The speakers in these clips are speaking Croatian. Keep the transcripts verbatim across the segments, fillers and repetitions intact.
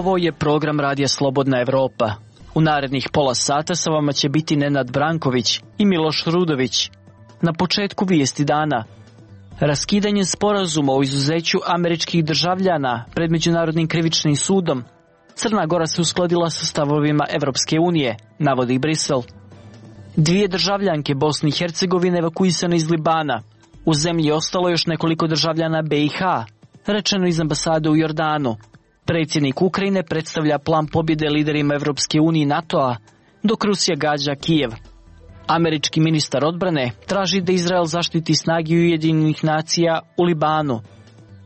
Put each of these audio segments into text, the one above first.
Ovo je program Radija Slobodna Evropa. U narednih pola sata sa vama će biti Nenad Branković i Miloš Rudović. Na početku vijesti dana. Raskidanje sporazuma o izuzeću američkih državljana pred Međunarodnim krivičnim sudom. Crna Gora se uskladila sa stavovima Evropske unije, navodi Brisel. Dvije državljanke Bosne i Hercegovine evakuisane iz Libana. U zemlji je ostalo još nekoliko državljana B i H, rečeno iz ambasade u Jordanu. Predsjednik Ukrajine predstavlja plan pobjede liderima Evropske unije i NATO-a, dok Rusija gađa Kijev. Američki ministar odbrane traži da Izrael zaštiti snage Ujedinjenih nacija u Libanu.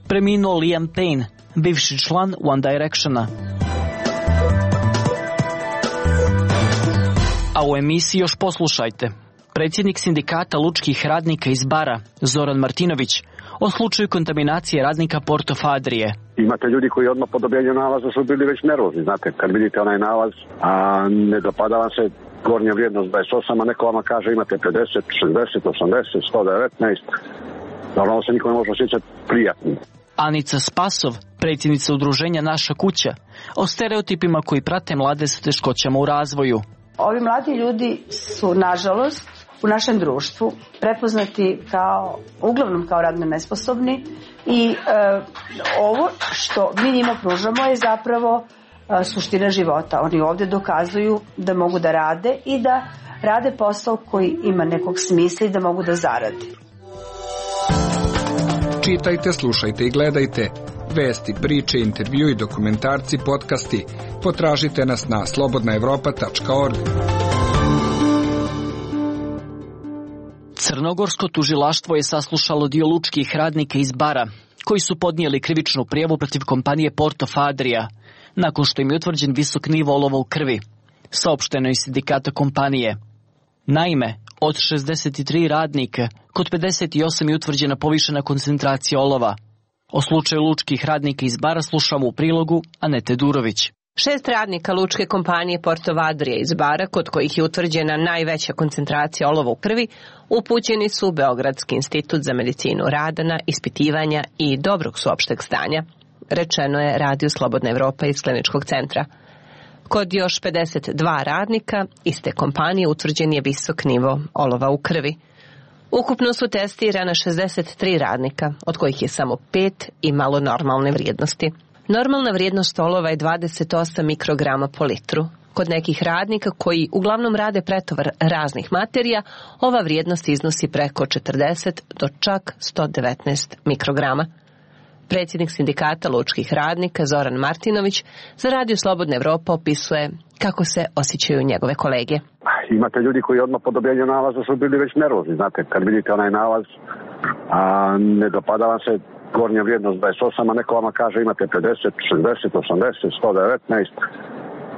Preminuo Liam Payne, bivši član One Directiona. A u emisiji još poslušajte. Predsjednik sindikata lučkih radnika iz Bara, Zoran Martinović, o slučaju kontaminacije radnika Porto Fadrije. Imate ljudi koji odmah po dobijanju nalaza su bili već nervozni, znate, kad vidite onaj nalaz, a ne dopada vam se gornja vrijednost dvadeset osam, a neko vama kaže imate pedeset, šezdeset, osamdeset, sto devetnaest, normalno se niko ne može osjećati prijatnim. Anica Spasov, predsjednica udruženja Naša kuća, o stereotipima koji prate mlade sa teškoćama u razvoju. Ovi mladi ljudi su, nažalost, u našem društvu prepoznati kao, uglavnom kao radno nesposobni i e, ovo što mi njima pružamo je zapravo e, suština života. Oni ovdje dokazuju da mogu da rade i da rade posao koji ima nekog smisla i da mogu da zarade. Čitajte, slušajte i gledajte. Vesti, priče, intervjui, dokumentarci, podcasti. Potražite nas na slobodna evropa tačka org. Crnogorsko tužilaštvo je saslušalo dio lučkih radnika iz Bara, koji su podnijeli krivičnu prijavu protiv kompanije Porto Fadrija, nakon što im je utvrđen visok nivo olova u krvi, saopšteno iz sindikata kompanije. Naime, od šezdeset tri radnika, kod pedeset osam je utvrđena povišena koncentracija olova. O slučaju lučkih radnika iz Bara slušamo u prilogu Anete Durović. Šest radnika lučke kompanije Porto Fadrije iz Bara, kod kojih je utvrđena najveća koncentracija olova u krvi, upućeni su u Beogradski institut za medicinu rada na ispitivanja i dobrog su opšteg stanja, rečeno je Radiju Slobodna Evropa iz kliničkog centra. Kod još pedeset dva radnika iste kompanije utvrđen je visok nivo olova u krvi. Ukupno su testirana šezdeset tri radnika, od kojih je samo pet imalo normalne vrijednosti. Normalna vrijednost olova je dvadeset osam mikrograma po litru. Kod nekih radnika koji uglavnom rade pretovar raznih materija, ova vrijednost iznosi preko četrdeset do čak sto devetnaest mikrograma. Predsjednik sindikata lučkih radnika Zoran Martinović za Radio Slobodna Evropa opisuje kako se osjećaju njegove kolege. Imate ljudi koji odmah po dobijanju nalaza su bili već nervozni, znate, kad vidite onaj nalaz, a ne dopada vam se gornja vrijednost dvadeset osam, a neko vama kaže imate pedeset, šezdeset, osamdeset, sto devetnaest,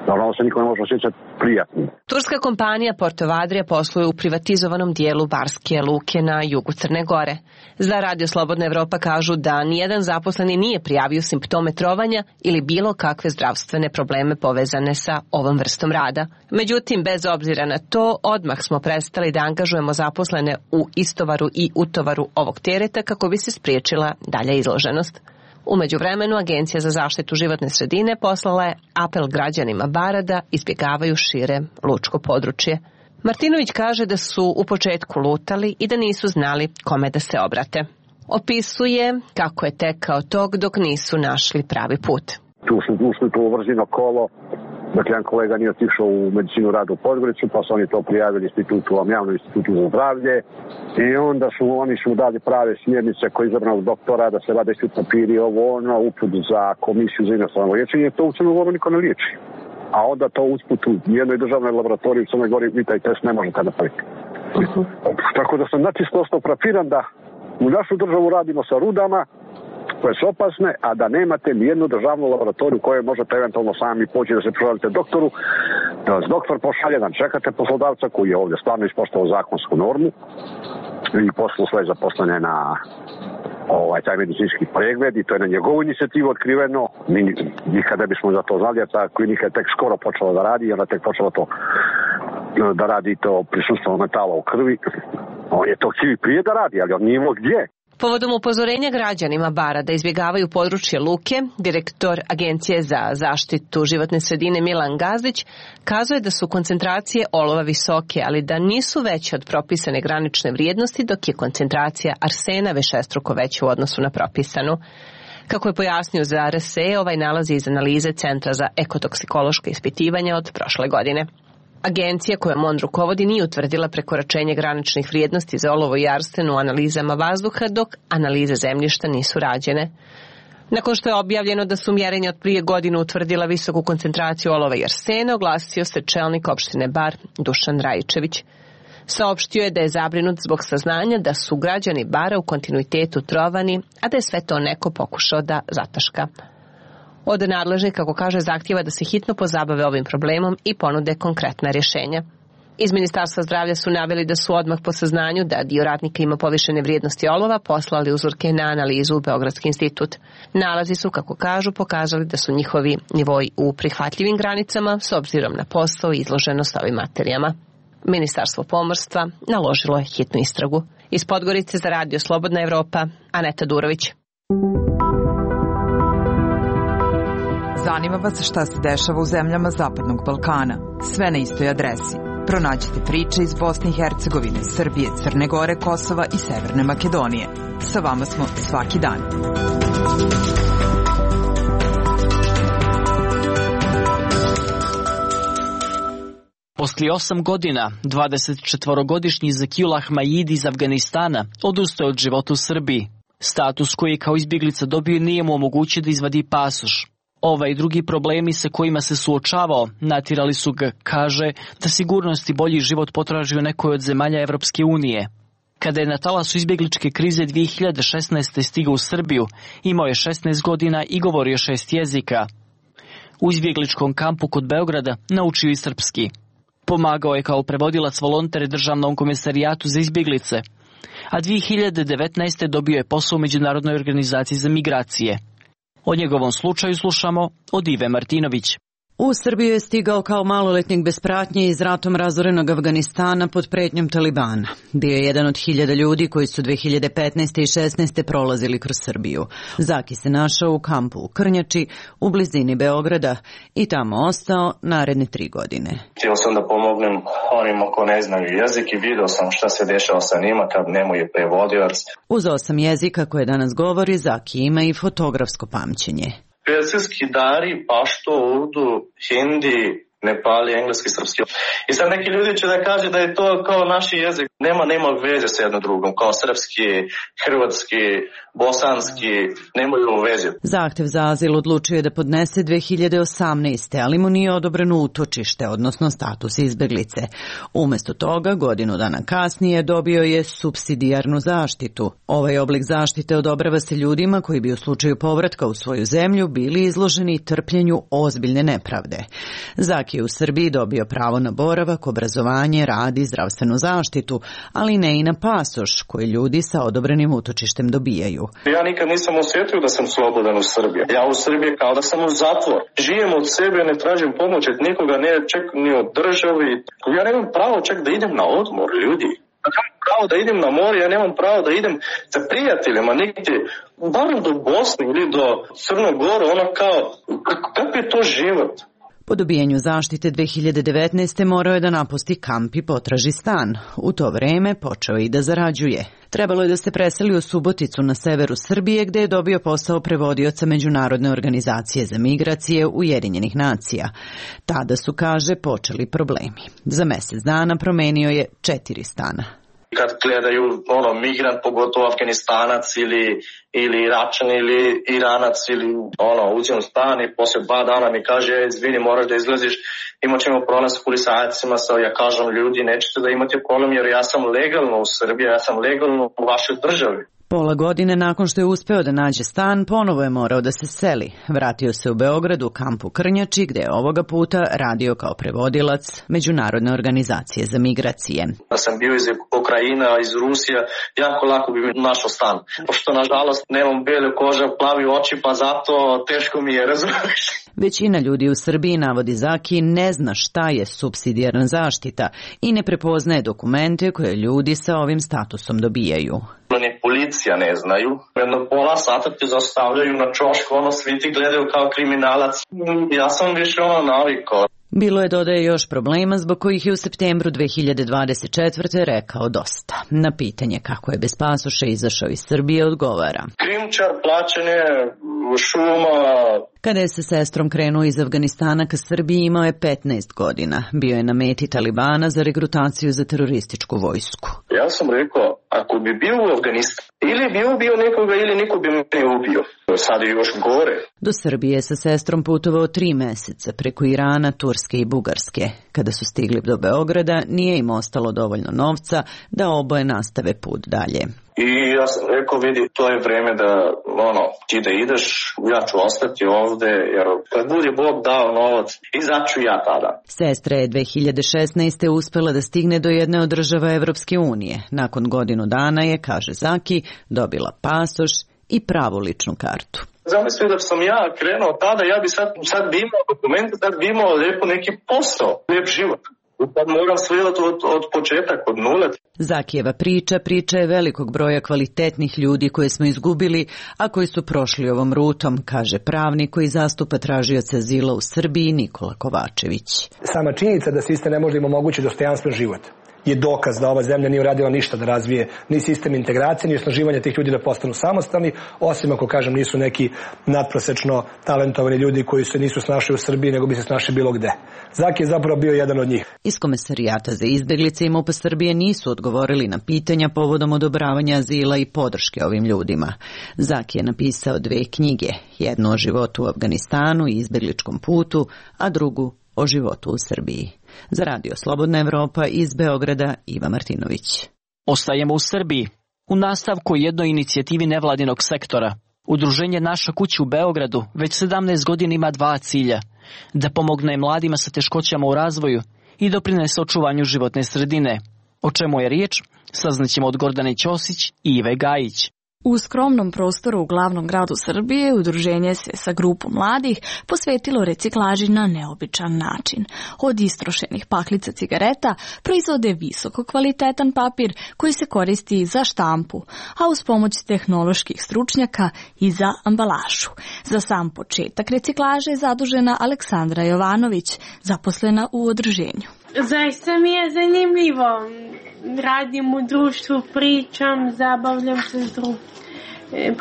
normalno se niko ne može osjećati prijatnim. Turska kompanija Porto Fadrija posluje u privatizovanom dijelu Barske luke na jugu Crne Gore. Za Radio Slobodna Evropa kažu da nijedan zaposleni nije prijavio simptome trovanja ili bilo kakve zdravstvene probleme povezane sa ovom vrstom rada. Međutim, bez obzira na to, odmah smo prestali da angažujemo zaposlene u istovaru i utovaru ovog tereta kako bi se spriječila dalja izloženost. U međuvremenu, Agencija za zaštitu životne sredine poslala je apel građanima Bara da izbjegavaju šire lučko područje. Martinović kaže da su u početku lutali i da nisu znali kome da se obrate. Opisuje kako je tekao tok dok nisu našli pravi put. Tu su ušli tu vrzino kolo, dakle jedan kolega nije otišao u medicinu rada u Podgoricu, pa su oni to prijavili institutu, javnom institutu za zdravlje i onda su oni su dali prave smjernice koji izabranog doktora da se vade svi papiri, ovo ono, uput za komisiju za inostrano liječenje, to u Crnoj Gori niko ne liječi. A onda to usput u jednoj državnoj laboratoriji u Crnoj Gori vi taj test ne možete napraviti. Uh-huh. Tako da sam načisto ostao frapiran da u našu državu radimo sa rudama koje su opasne, a da nemate nijednu državnu laboratoriju koje možete eventualno sami poći da se provalite doktoru, da vas doktor pošalje, da čekate poslodavca koji je ovdje stvarno ispoštovao zakonsku normu i poslao svoje zaposlene na ovaj, taj medicinski pregled i to je na njegovu inicijativu otkriveno. Mi nikada bismo za to znali, a ta klinika je tek skoro počela da radi i ona tek počela to da radi to prisustvo metala u krvi. On je to htio prije da radi, ali on nije imao gdje. Povodom upozorenja građanima Bara da izbjegavaju područje luke, direktor Agencije za zaštitu životne sredine Milan Gazdić kazuje da su koncentracije olova visoke, ali da nisu veće od propisane granične vrijednosti, dok je koncentracija arsena višestruko veća u odnosu na propisanu. Kako je pojasnio za R S E, ovaj nalazi iz analize Centra za ekotoksikološke ispitivanja od prošle godine. Agencija kojom on rukovodi nije utvrdila prekoračenje graničnih vrijednosti za olovo i arsen u analizama vazduha, dok analize zemljišta nisu rađene. Nakon što je objavljeno da su mjerenja od prije godinu utvrdila visoku koncentraciju olova i arsena, oglasio se čelnik opštine Bar Dušan Rajičević. Saopštio je da je zabrinut zbog saznanja da su građani Bara u kontinuitetu trovani, a da je sve to neko pokušao da zataška. Od nadležnih, kako kaže, zahtjeva da se hitno pozabave ovim problemom i ponude konkretna rješenja. Iz Ministarstva zdravlja su naveli da su odmah po saznanju da dio radnika ima povišene vrijednosti olova poslali uzorke na analizu u Beogradski institut. Nalazi su, kako kažu, pokazali da su njihovi nivoji u prihvatljivim granicama s obzirom na posao i izloženost ovim materijama. Ministarstvo pomorstva naložilo je hitnu istragu. Iz Podgorice za radio Slobodna Evropa, Aneta Durović. Zanima vas šta se dešava u zemljama Zapadnog Balkana. Sve na istoj adresi. Pronađite priče iz Bosne i Hercegovine, Srbije, Crne Gore, Kosova i Severne Makedonije. Sa vama smo svaki dan. Poslije osam godina, dvadesetčetvorogodišnji Zakijul Ahmajidi iz Afganistana odustao od života u Srbiji. Status koji je kao izbjeglica dobio nije mu omogućio da izvadi pasoš. Ovaj i drugi problemi sa kojima se suočavao natjerali su ga, kaže, da sigurnost i bolji život potraži u nekoj od zemalja Evropske unije. Kada je na talasu izbjegličke krize dvije hiljade šesnaeste. stigao u Srbiju, imao je šesnaest godina i govorio šest jezika. U izbjegličkom kampu kod Beograda naučio i srpski. Pomagao je kao prevodilac volonter Državnom komesarijatu za izbjeglice, a dvije hiljade devetnaeste. dobio je posao u Međunarodnoj organizaciji za migracije. O njegovom slučaju slušamo od Ive Martinović. U Srbiju je stigao kao maloletnik bez pratnje iz ratom razorenog Afganistana pod pretnjom Talibana. Bio je jedan od hiljada ljudi koji su dvije hiljade petnaeste. i šesnaeste. prolazili kroz Srbiju. Zaki se našao u kampu u Krnjači, u blizini Beograda, i tamo ostao naredne tri godine. Htio sam da pomognem onima ko ne znaju jezik i vidio sam šta se dešava sa njima kad nemaju prevodilac. Uz osam jezika koje danas govori, Zaki ima i fotografsko pamćenje. Persijski, dari, pašto, urdu, hindi, nepali, engleski, srpski. I sad neki ljudi će da kaže da je to kao naš jezik. Nema, nema veze sa jednom drugom, kao srpski, hrvatski, bosanski, nemaju veze. Zahtev za azil odlučio je da podnese dvije hiljade osamnaeste. ali mu nije odobreno utočište, odnosno status izbjeglice. Umjesto toga, godinu dana kasnije dobio je supsidijarnu zaštitu. Ovaj oblik zaštite odobrava se ljudima koji bi u slučaju povratka u svoju zemlju bili izloženi trpljenju ozbiljne nepravde. Zaki je u Srbiji dobio pravo na boravak, obrazovanje, rad i zdravstvenu zaštitu, ali ne i na pasoš koji ljudi sa odobrenim utočištem dobijaju. Ja nikad nisam osjetio da sam slobodan u Srbiji. Ja u Srbiji kao da sam u zatvor. Živim od sebe, ne tražim pomoć od nikoga, ne čak ni od državi. Ja nemam pravo čak da idem na odmor, ljudi. Ja nemam pravo da idem na more, ja nemam pravo da idem sa prijateljima negdje, barem do Bosne ili do Crnog Gore, ono kao, kako je to život? Po dobijanju zaštite dvije hiljade devetnaeste. morao je da napusti kamp i potraži stan. U to vreme počeo i da zarađuje. Trebalo je da se preseli u Suboticu na severu Srbije, gde je dobio posao prevodioca Međunarodne organizacije za migracije Ujedinjenih nacija. Tada su, kaže, počeli problemi. Za mjesec dana promenio je četiri stana. Kad gledaju ono, migrant, pogotovo Afganistanac ili, ili Iračan ili Iranac ili ono, uđem u stan i poslije dva dana mi kaže, izvini, moraš da izlaziš, imat ćemo problem sa policajcima, sa, ja kažem, ljudi, nećete da imate problem jer ja sam legalno u Srbiji, ja sam legalno u vašoj državi. Pola godine nakon što je uspeo da nađe stan, ponovo je morao da se seli. Vratio se u Beograd u kampu Krnjači, gde je ovoga puta radio kao prevodilac Međunarodne organizacije za migracije. Da sam bio iz Ukrajina, iz Rusije, jako lako bi mi našao stan. Pošto, nažalost, nemam bele kože, plavi oči, pa zato teško mi je, razumiješ. Većina ljudi u Srbiji, navodi Zaki, ne zna šta je supsidijarna zaštita i ne prepoznaje dokumente koje ljudi sa ovim statusom dobijaju. Ni policija ne znaju. Jedno pola sata te zastavljaju na čošku, ono svi ti gledaju kao kriminalac. Ja sam više ono navikao. Bilo je, dodaje, još problema zbog kojih je u septembru dve hiljade dvadeset četvrte rekao dosta. Na pitanje kako je bez pasoša izašao iz Srbije odgovara: krimčar, plaćanje, šuma. Kada je sa sestrom krenuo iz Afganistana ka Srbiji, imao je petnaest godina. Bio je na meti Talibana za regrutaciju za terorističku vojsku. Ja sam rekao, ako bi bio u Afganistanu, ili bi ubio nekoga ili neko bi me ubio. Sad je još gore. Do Srbije je sa sestrom putovao tri meseca preko Irana, Turske i Bugarske. Kada su stigli do Beograda, nije im ostalo dovoljno novca da oboje nastave put dalje. I ja sam rekao, vidi, to je vreme da, ono, ti da ideš, ja ću ostati ovde, jer kad bude Bog dao novac, izaću ja tada. Sestra je dve hiljade šesnaeste. uspela da stigne do jedne od država Evropske unije. Nakon godinu dana je, kaže Zaki, dobila pasoš i pravu ličnu kartu. Zamisli da sam ja krenuo tada, ja bi sad, sad bi imao dokumente, sad bi imao lijepo neki posao, lijep život. Sad moram sve od, od početak, od nule. Zakijeva priča, priča je velikog broja kvalitetnih ljudi koje smo izgubili, a koji su prošli ovom rutom, kaže pravnik koji zastupa tražioca azila u Srbiji Nikola Kovačević. Sama činjenica da sistem ne može im omogućiti dostojanstven život je dokaz da ova zemlja nije uradila ništa da razvije ni sistem integracije, ni osnaživanje tih ljudi da postanu samostalni, osim ako, kažem, nisu neki nadprosečno talentovani ljudi koji se nisu snašli u Srbiji, nego bi se snašli bilo gde. Zaki je zapravo bio jedan od njih. Iz Komesarijata za izbeglice i MUP Srbije nisu odgovorili na pitanja povodom odobravanja azila i podrške ovim ljudima. Zaki je napisao dve knjige, jednu o životu u Afganistanu i izbegličkom putu, a drugu o životu u Srbiji. Za Radio Slobodna Evropa iz Beograda, Iva Martinović. Ostajemo u Srbiji. U nastavku jednoj inicijativi nevladinog sektora. Udruženje Naša kuća u Beogradu već sedamnaest godina ima dva cilja. Da pomogne mladima sa teškoćama u razvoju i doprinese očuvanju životne sredine. O čemu je riječ, saznaćemo od Gordane Ćosić i Ive Gajić. U skromnom prostoru u glavnom gradu Srbije udruženje se sa grupom mladih posvetilo reciklaži na neobičan način. Od istrošenih paklica cigareta proizvode visoko kvalitetan papir koji se koristi za štampu, a uz pomoć tehnoloških stručnjaka i za ambalažu. Za sam početak reciklaže je zadužena Aleksandra Jovanović, zaposlena u udruženju. Zaista mi je zanimljivo. Radim u društvu, pričam, zabavljam se s drugim.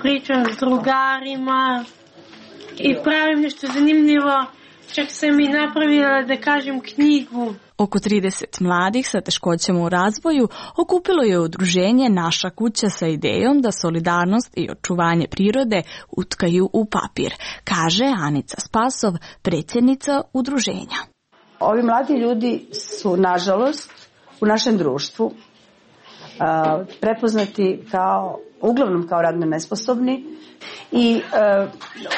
Pričam s drugarima i pravim nešto zanimljivo. Čak sam i napravila, da kažem, knjigu. Oko trideset mladih sa teškoćama u razvoju okupilo je udruženje Naša kuća sa idejom da solidarnost i očuvanje prirode utkaju u papir, kaže Anica Spasov, predsjednica udruženja. Ovi mladi ljudi su, nažalost, u našem društvu a, prepoznati kao, uglavnom kao radno nesposobni i a,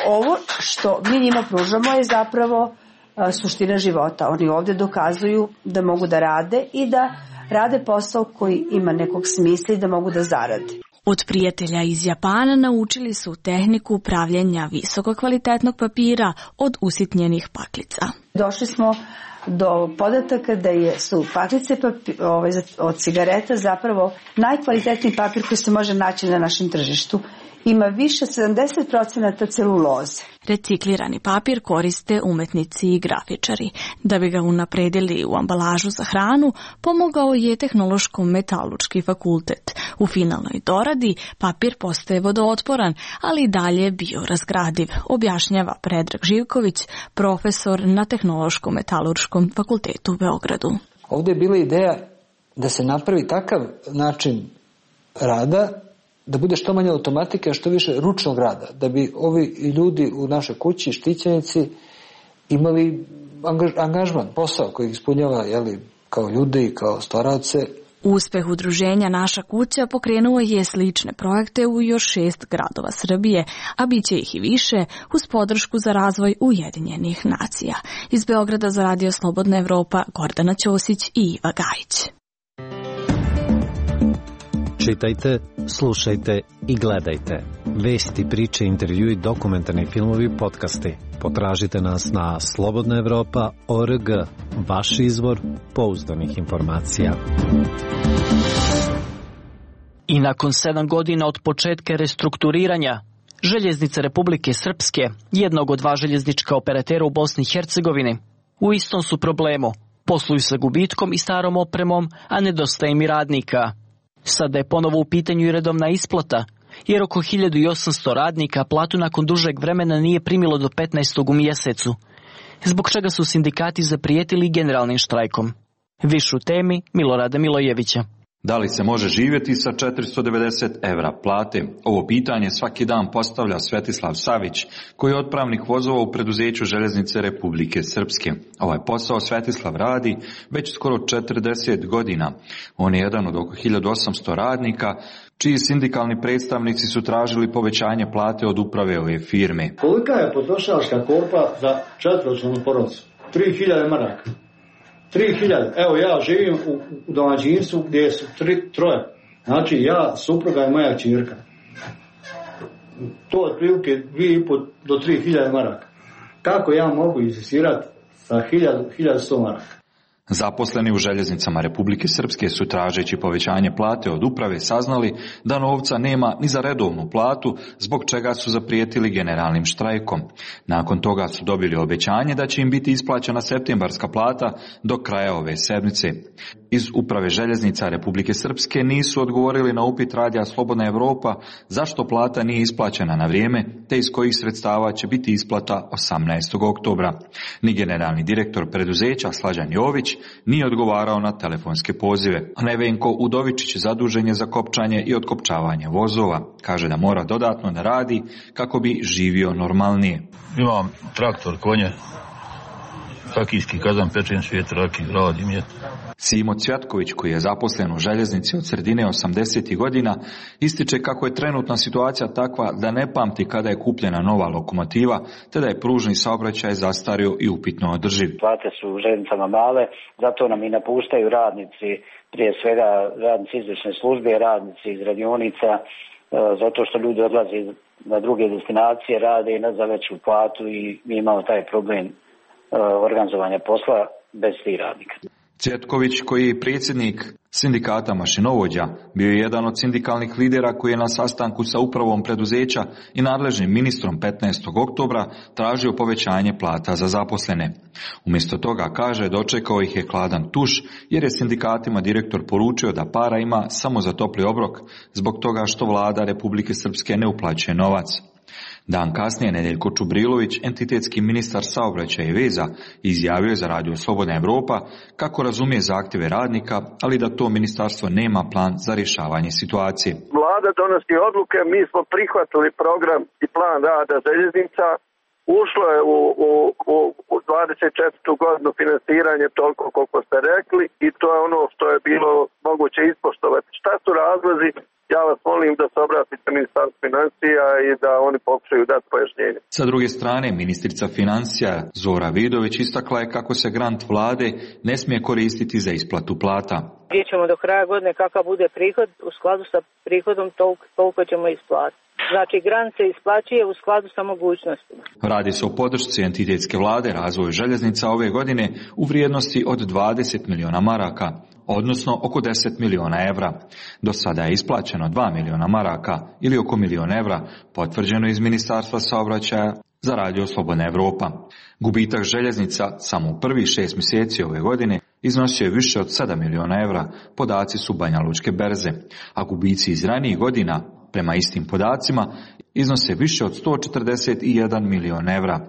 ovo što mi njima pružamo je zapravo a, suština života. Oni ovdje dokazuju da mogu da rade i da rade posao koji ima nekog smisla i da mogu da zarade. Od prijatelja iz Japana naučili su tehniku pravljenja visoko kvalitetnog papira od usitnjenih paklica. Došli smo do podataka da je, su paklice papi, ovaj, od cigareta zapravo najkvalitetniji papir koji se može naći na našem tržištu. Ima više sedamdeset procenata celuloze. Reciklirani papir koriste umetnici i grafičari. Da bi ga unapredili u ambalažu za hranu, pomogao je Tehnološko-metalurški fakultet. U finalnoj doradi papir postaje vodootporan, ali i dalje biorazgradiv, objašnjava Predrag Živković, profesor na Tehnološko-metalurškom fakultetu u Beogradu. Ovdje je bila ideja da se napravi takav način rada da bude što manje automatike, a što više ručnog rada, da bi ovi ljudi u našoj kući, štićenici, imali angaž, angažman, posao koji ispunjava, jeli, kao ljudi i kao stvaralce. Uspeh udruženja Naša kuća pokrenuo je slične projekte u još šest gradova Srbije, a bit će ih i više uz podršku za razvoj Ujedinjenih nacija. Iz Beograda za Radio Slobodna Evropa, Gordana Ćosić i Iva Gajić. Čitajte, slušajte i gledajte. Vesti, priče, intervjui, dokumentarni filmovi, podcasti. Potražite nas na slobodna evropa tačka org, vaš izvor pouzdanih informacija. I nakon sedam godina od početka restrukturiranja, Željeznice Republike Srpske, jednog od dva željeznička operatera u Bosni i Hercegovini, u istom su problemu. Posluju sa gubitkom i starom opremom, a nedostaje im i radnika. Sada je ponovo u pitanju i redovna isplata, jer oko hiljadu osamsto radnika platu nakon dužeg vremena nije primilo do petnaestog u mjesecu, zbog čega su sindikati zaprijetili generalnim štrajkom. Više u temi Milorada Milojevića. Da li se može živjeti sa četiristo devedeset evra plate? Ovo pitanje svaki dan postavlja Svetislav Savić, koji je otpravnik vozova u preduzeću Željeznice Republike Srpske. Ovaj posao Svetislav radi već skoro četrdeset godina. On je jedan od oko hiljadu osamsto radnika, čiji sindikalni predstavnici su tražili povećanje plate od uprave ove firme. Kolika je potrošačka korpa za četvoročlanu porodicu? tri hiljade maraka. tri hiljade. Evo ja živim u, u domaćinstvu gdje su tri, troje. Znači ja, supruga i moja ćerka. To je otprilike dvije i pol do tri hiljade maraka. Kako ja mogu insistirati sa hiljadu sto maraka? Zaposleni u Željeznicama Republike Srpske su, tražeći povećanje plate od uprave, saznali da novca nema ni za redovnu platu, zbog čega su zaprijetili generalnim štrajkom. Nakon toga su dobili obećanje da će im biti isplaćena septembarska plata do kraja ove sedmice. Iz uprave Željeznica Republike Srpske nisu odgovorili na upit radija Slobodna Evropa zašto plata nije isplaćena na vrijeme, te iz kojih sredstava će biti isplata osamnaestog oktobra. Ni generalni direktor preduzeća Slađan Jović nije odgovarao na telefonske pozive. Nevenko Udovičić zadužen je za kopčanje i otkopčavanje vozova. Kaže da mora dodatno da radi kako bi živio normalnije. Imam traktor, konje, rakijski kazan, pečen svijet, raki, radim je. Simo Cvjatković, koji je zaposlen u Željeznici od sredine osamdesetih godina, ističe kako je trenutna situacija takva da ne pamti kada je kupljena nova lokomotiva, te da je pružni saobraćaj zastario i upitno održiv. Plate su u željeznicama male, zato nam i napuštaju radnici, prije svega radnici izvršne službe, radnici iz radionica, zato što ljudi odlaze na druge destinacije, rade i za veću platu i mi imamo taj problem organizovanja posla bez tih radnika. Cvjetković, koji je predsjednik sindikata mašinovođa, bio je jedan od sindikalnih lidera koji je na sastanku sa upravom preduzeća i nadležnim ministrom petnaestog oktobra tražio povećanje plata za zaposlene. Umjesto toga, kaže, dočekao ih je hladan tuš, jer je sindikatima direktor poručio da para ima samo za topli obrok, zbog toga što vlada Republike Srpske ne uplaćuje novac. Dan kasnije Nedeljko Čubrilović, entitetski ministar saobraćaja i veza, izjavio je za radio Slobodna Evropa kako razumije zahtjeve radnika, ali da to ministarstvo nema plan za rješavanje situacije. Vlada donosi odluke, mi smo prihvatili program i plan rada željeznica, ušlo je u, u, u, u dvadeset četvrtu godinu finansiranje toliko koliko ste rekli i to je ono što je bilo moguće ispoštovati. Šta su razlozi? Ja vas molim da se obratite Ministarstvu financija i da oni pokušaju dati pojašnjenje. Sa druge strane, ministrica financija Zora Vidović istakla je kako se grant vlade ne smije koristiti za isplatu plata. Vidjet ćemo do kraja godine kakav bude prihod, u skladu sa prihodom toliko, toliko ćemo isplatiti. Znači, grant se isplaćuje u skladu sa mogućnostima. Radi se o podršci entitetske vlade razvoju željeznica ove godine u vrijednosti od dvadeset miliona maraka, odnosno oko deset miliona evra. Do sada je isplaćeno dva miliona maraka ili oko milion evra, potvrđeno iz Ministarstva saobraćaja za radio Slobodna Evropa. Gubitak željeznica samo u prvih šest mjeseci ove godine iznosio je više od sedam miliona evra, podaci su Banja Lučke berze, a gubici iz ranijih godina, prema istim podacima, iznose više od sto četrdeset jedan milion evra.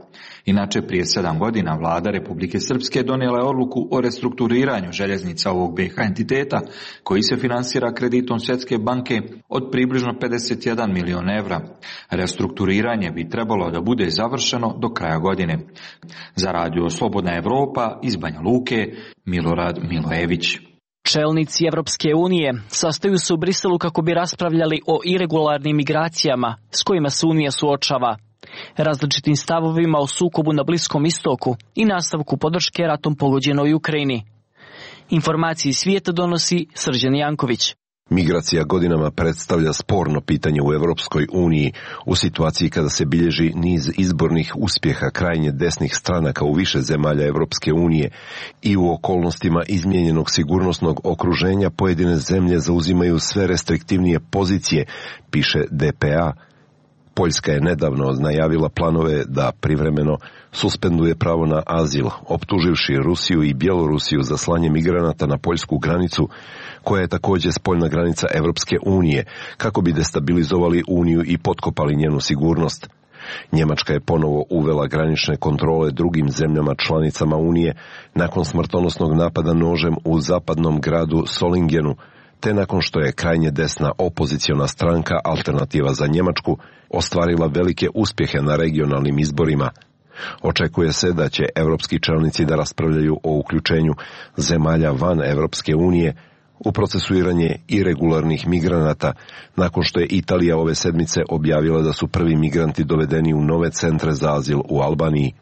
Inače, prije sedam godina vlada Republike Srpske donijela je odluku o restrukturiranju željeznica ovog B H entiteta, koji se finansira kreditom Svjetske banke od približno pedeset jedan milion evra. Restrukturiranje bi trebalo da bude završeno do kraja godine. Za radio Slobodna Evropa iz Banja Luke, Milorad Milojević. Čelnici Evropske unije sastaju se u Briselu kako bi raspravljali o iregularnim migracijama s kojima se Unija suočava, različitim stavovima o sukobu na Bliskom istoku i nastavku podrške ratom pogođenoj Ukrajini. Informacije iz svijeta donosi Srđan Janković. Migracija godinama predstavlja sporno pitanje u Europskoj uniji u situaciji kada se bilježi niz izbornih uspjeha krajnje desnih stranaka u više zemalja Europske unije i u okolnostima izmijenjenog sigurnosnog okruženja pojedine zemlje zauzimaju sve restriktivnije pozicije, piše D P A. Poljska je nedavno najavila planove da privremeno suspenduje pravo na azil, optuživši Rusiju i Bjelorusiju za slanje migranata na poljsku granicu, koja je također spoljna granica Europske unije, kako bi destabilizovali Uniju i potkopali njenu sigurnost. Njemačka je ponovo uvela granične kontrole drugim zemljama članicama Unije nakon smrtonosnog napada nožem u zapadnom gradu Solingenu, te nakon što je krajnje desna opoziciona stranka Alternativa za Njemačku ostvarila velike uspjehe na regionalnim izborima. Očekuje se da će europski čelnici da raspravljaju o uključenju zemalja van Europske unije u procesuiranje iregularnih migranata, nakon što je Italija ove sedmice objavila da su prvi migranti dovedeni u nove centre za azil u Albaniji.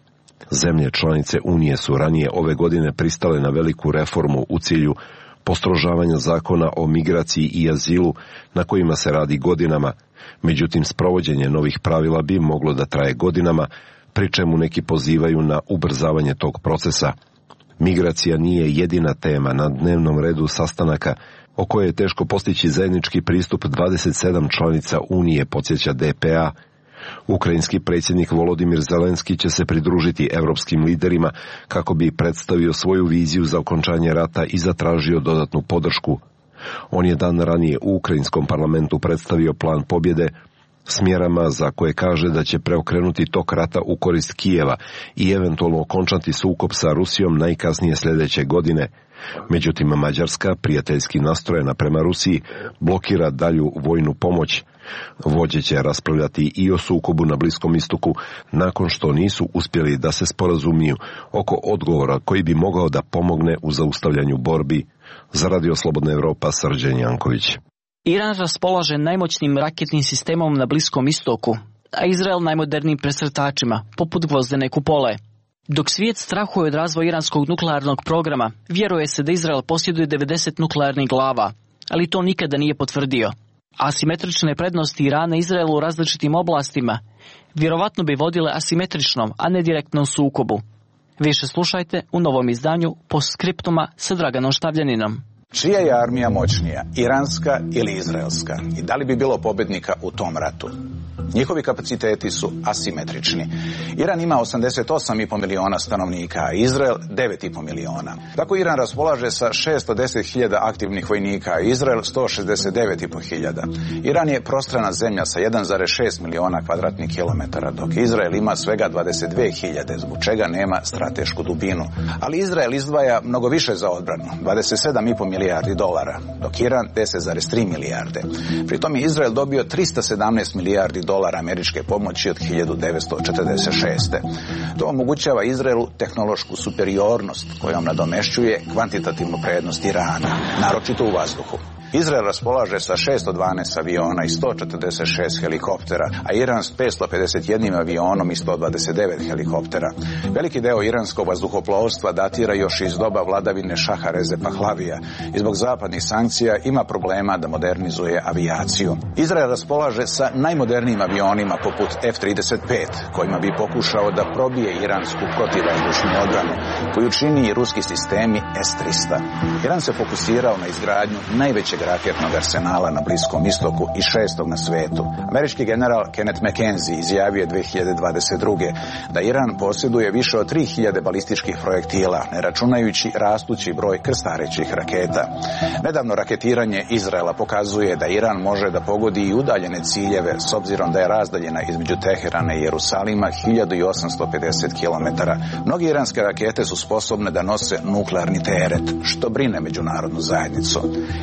Zemlje članice Unije su ranije ove godine pristale na veliku reformu u cilju postrožavanja zakona o migraciji i azilu na kojima se radi godinama, međutim sprovođenje novih pravila bi moglo da traje godinama, pri čemu neki pozivaju na ubrzavanje tog procesa. Migracija nije jedina tema na dnevnom redu sastanaka o kojoj je teško postići zajednički pristup dvadeset sedam članica Unije, podsjeća D P A. Ukrajinski predsjednik Volodimir Zelenski će se pridružiti europskim liderima kako bi predstavio svoju viziju za okončanje rata i zatražio dodatnu podršku. On je dan ranije u ukrajinskom parlamentu predstavio plan pobjede s mjerama za koje kaže da će preokrenuti tok rata u korist Kijeva i eventualno okončati sukob sa Rusijom najkasnije sljedeće godine. Međutim, Mađarska, prijateljski nastrojena prema Rusiji, blokira dalju vojnu pomoć. Vođe će raspravljati i o sukobu na Bliskom istoku nakon što nisu uspjeli da se sporazumiju oko odgovora koji bi mogao da pomogne u zaustavljanju borbi. Za Radio Slobodna Evropa, Srđan Janković. Iran raspolaže najmoćnim raketnim sistemom na Bliskom istoku, a Izrael najmodernijim presretačima, poput gvozdene kupole. Dok svijet strahuje od razvoja iranskog nuklearnog programa, vjeruje se da Izrael posjeduje devedeset nuklearnih glava, ali to nikada nije potvrdio. Asimetrične prednosti Irana i Izraela u različitim oblastima vjerovatno bi vodile asimetričnom, a ne direktnom sukobu. Više slušajte u novom izdanju Postskriptuma sa Draganom Štavljaninom. Čija je armija moćnija, iranska ili izraelska? I da li bi bilo pobjednika u tom ratu? Njihovi kapaciteti su asimetrični. Iran ima osamdeset osam i po miliona stanovnika, a Izrael devet i po miliona. Tako Iran raspolaže sa šesto deset hiljada aktivnih vojnika, a Izrael sto šezdeset devet i po hiljada. Iran je prostrana zemlja sa jedan zarez šest miliona kvadratnih kilometara, dok Izrael ima svega dvadeset dve hiljade, zbog čega nema stratešku dubinu. Ali Izrael izdvaja mnogo više za odbranu, dvadeset sedam i po milijardi dolara, dok Iran deset zarez tri milijarde. Pritom je Izrael dobio tristo sedamnaest milijardi dolara američke pomoći od hiljadu devetsto četrdeset šeste. To omogućava Izraelu tehnološku superiornost kojom nadomešćuje kvantitativnu prednost Irana, naročito u vazduhu. Izrael raspolaže sa šesto dvanaest aviona i sto četrdeset šest helikoptera, a Iran s petsto pedeset jedan avionom i sto dvadeset devet helikoptera. Veliki deo iranskog vazduhoplovstva datira još iz doba vladavine Šaha Reze Pahlavija i zbog zapadnih sankcija ima problema da modernizuje avijaciju. Izrael raspolaže sa najmodernijim avionima poput F trideset pet, kojima bi pokušao da probije iransku protivvazdušnu odbranu, koju čini i ruski sistemi S tristo. Iran se fokusirao na izgradnju najvećeg raketnog arsenala na Bliskom istoku i šestog na svetu. Američki general Kenneth McKenzie izjavio je dve hiljade dvadeset druge da Iran posjeduje više od tri hiljade balističkih projektila, ne računajući rastući broj krstarećih raketa. Nedavno raketiranje Izraela pokazuje da Iran može da pogodi i udaljene ciljeve, s obzirom da je razdaljena između Teherana i Jerusalima hiljadu osamsto pedeset kilometara. Mnogi iranske rakete su sposobne da nose nuklearni teret, što brine međunarodnu zajednicu.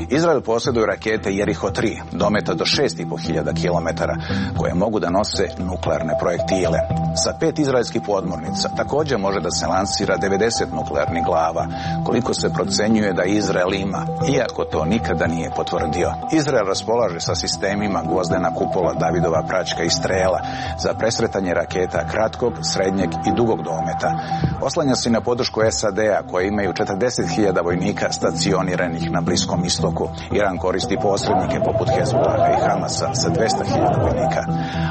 Izrael posjeduje rakete Jeriho tri, dometa do šest i po hiljada kilometara, koje mogu da nose nuklearne projektile. Sa pet izraelskih podmornica također može da se lansira devedeset nuklearnih glava, koliko se procenjuje da Izrael ima, iako to nikada nije potvrdio. Izrael raspolaže sa sistemima gvozdena kupola, Davidova praćka i strela za presretanje raketa kratkog, srednjeg i dugog dometa. Oslanja se na podršku S A D-a, koje imaju četrdeset hiljada vojnika stacioniranih na Bliskom istoku. Iran koristi posrednike poput Hezbollaha i Hamasa sa dvesta hiljada vojnika.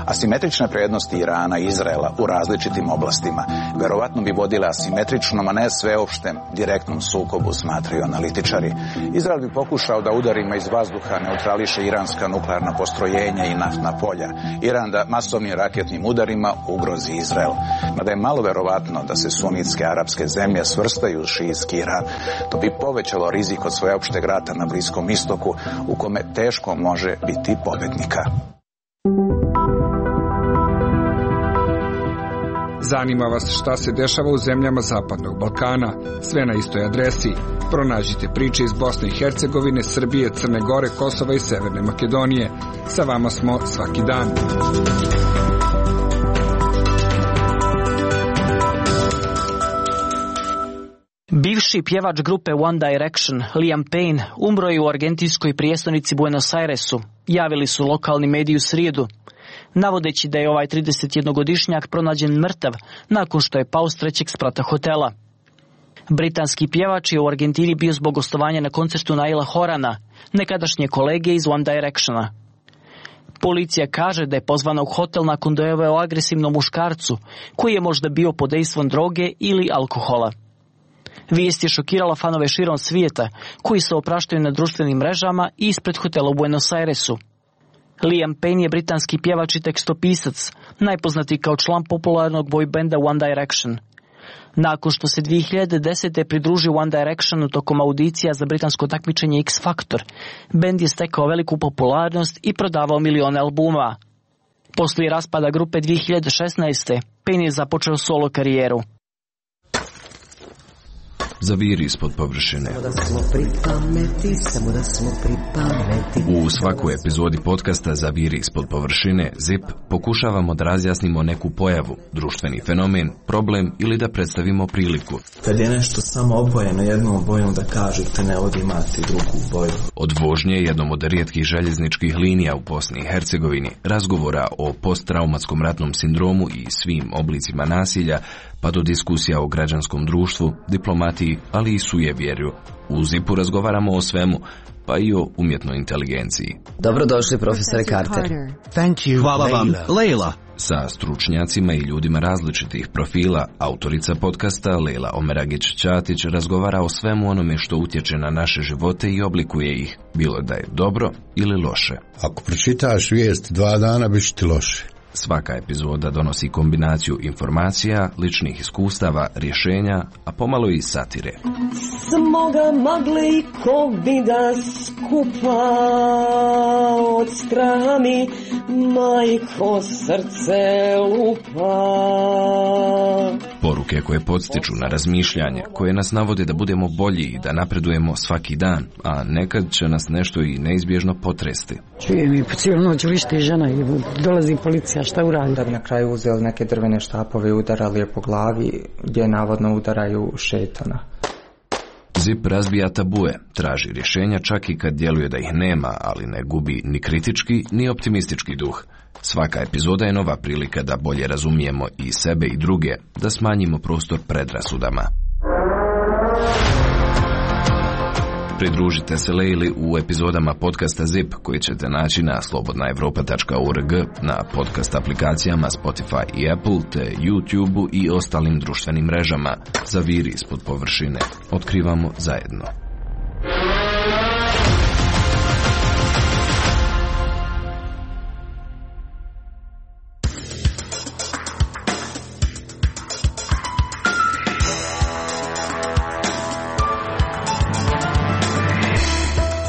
Asimetrične prednosti Irana i Izraela u različitim oblastima verovatno bi vodile asimetričnom, a ne sveopštem direktnom sukobu, smatraju analitičari. Izrael bi pokušao da udarima iz vazduha neutrališe iranska nuklearna postrojenja i naftna polja. Iran da masovnim raketnim udarima ugrozi Izrael. Mada je malo verovatno da se sunitske arapske zemlje svrstaju u šijitski Iran. To bi povećalo rizik od sveopšteg rata na Bliskom istoku, u kome teško može biti pobednika. Zanima vas šta se dešava u zemljama Zapadnog Balkana? Sve na istoj adresi. Pronađite priče iz Bosne i Hercegovine, Srbije, Crne Gore, Kosova i Severne Makedonije. Sa vama smo svaki dan. Bivši pjevač grupe One Direction, Liam Payne, umro je u argentinskoj prijestolnici Buenos Airesu, javili su lokalni mediji u srijedu, navodeći da je ovaj tridesetjednogodišnjak pronađen mrtav nakon što je pao s trećeg sprata hotela. Britanski pjevač je u Argentini bio zbog gostovanja na koncertu Naila Horana, nekadašnje kolege iz One Directiona. Policija kaže da je pozvana u hotel nakon dojave o agresivnom muškarcu, koji je možda bio pod dejstvom droge ili alkohola. Vijest je šokirala fanove širom svijeta, koji se opraštaju na društvenim mrežama i ispred hotela u Buenos Airesu. Liam Payne je britanski pjevač i tekstopisac, najpoznatiji kao član popularnog boy benda One Direction. Nakon što se dvije hiljade desete pridružio One Directionu tokom audicija za britansko takmičenje X Factor, bend je stekao veliku popularnost i prodavao milione albuma. Poslije raspada grupe dvije hiljade šesnaeste. Payne je započeo solo karijeru. Zaviri ispod površine. U svakoj epizodi podcasta Zaviri ispod površine Zip pokušavamo da razjasnimo neku pojavu, društveni fenomen, problem ili da predstavimo priliku. Kad je nešto samo obojeno jednom bojom da kažete ne od imati drugu boju. Od vožnje jednom od rijetkih željezničkih linija u Bosni i Hercegovini, razgovora o posttraumatskom ratnom sindromu i svim oblicima nasilja, pa do diskusija o građanskom društvu, diplomatiji, ali i sujevjerju. U Zipu razgovaramo o svemu, pa i o umjetnoj inteligenciji. Dobrodošli, profesore Carter. Thank you, Hvala vam, Leila. Sa stručnjacima i ljudima različitih profila, autorica podcasta Leila Omeragić-Ćatić razgovara o svemu onome što utječe na naše živote i oblikuje ih, bilo da je dobro ili loše. Ako pročitaš vijest dva dana, bit će ti loše. Svaka epizoda donosi kombinaciju informacija, ličnih iskustava, rješenja, a pomalo i satire. Smo ga mogli ko bi da skupa od straha mi majko srce lupa. Poruke koje podstiču na razmišljanje, koje nas navode da budemo bolji i da napredujemo svaki dan, a nekad će nas nešto i neizbježno potresti. Čujem i po cijelu noć lišti žena i dolazi policija, šta uradi? Da bi na kraju uzeli neke drvene štapove i udarali je po glavi, gdje navodno udaraju šetana. Zip razbija tabue, traži rješenja čak i kad djeluje da ih nema, ali ne gubi ni kritički ni optimistički duh. Svaka epizoda je nova prilika da bolje razumijemo i sebe i druge, da smanjimo prostor predrasudama. Pridružite se Leili u epizodama podcasta Zip koji ćete naći na slobodna evropa tačka org, na podcast aplikacijama Spotify i Apple, te YouTube i ostalim društvenim mrežama. Zaviri ispod površine. Otkrivamo zajedno.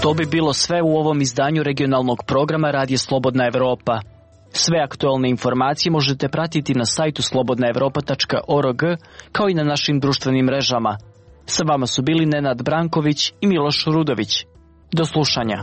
To bi bilo sve u ovom izdanju regionalnog programa Radija Slobodna Evropa. Sve aktualne informacije možete pratiti na sajtu slobodna evropa tačka org kao i na našim društvenim mrežama. Sa vama su bili Nenad Branković i Miloš Rudović. Do slušanja.